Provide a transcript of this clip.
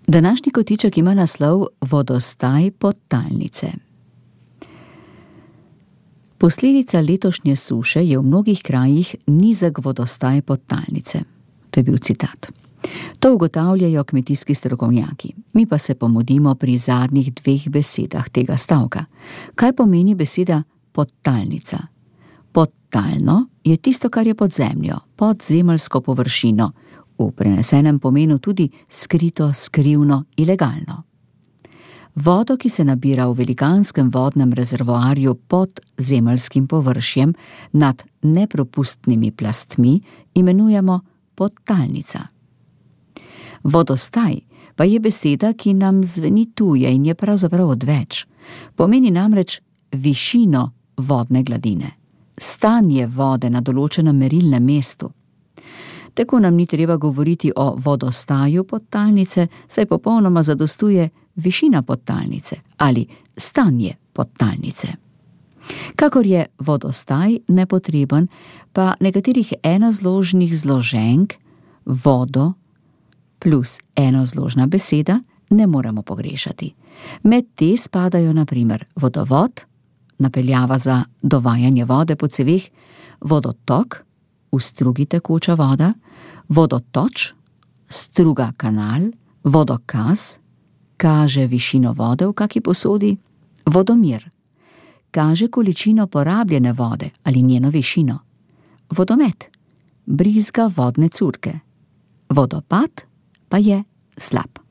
Današnji kotiček ima naslov Vodostaj podtalnice. Posledica letošnje suše je v mnogih krajih nizek vodostaj podtalnice. To je bil citat. To ugotavljajo kmetijski strokovnjaki. Mi pa se pomudimo pri zadnjih 2 besedah tega stavka. Kaj pomeni beseda podtalnica? Podtalno je tisto, kar je pod zemljo, pod zemeljsko površino, v prenesenem pomenu tudi skrito, skrivno, ilegalno. Vodo, ki se nabira v velikanskem vodnem rezervoarju pod zemeljskim površjem nad nepropustnimi plastmi, imenujemo podtalnica. Vodostaj pa je beseda, ki nam zveni tuja in je pravzaprav odveč. Pomeni namreč višino vodne gladine, stanje vode na določenem merilnem mestu. Tako nam ni treba govoriti o vodostaju podtalnice, saj popolnoma zadostuje višina podtalnice ali stanje podtalnice. Kakor je vodostaj nepotreben, pa nekaterih enozložnih zloženk vodo plus enozložna beseda ne moremo pogrešati. Med te spadajo na primer vodovod, napeljava za dovajanje vode po ceveh, vodotok, v strugi tekoča voda, vodotoč, struga kanal, vodokaz, kaže višino vode v kaki posodi, vodomir, kaže količino porabljene vode ali njeno višino, vodomet, brizga vodne curke, vodopad pa je slab.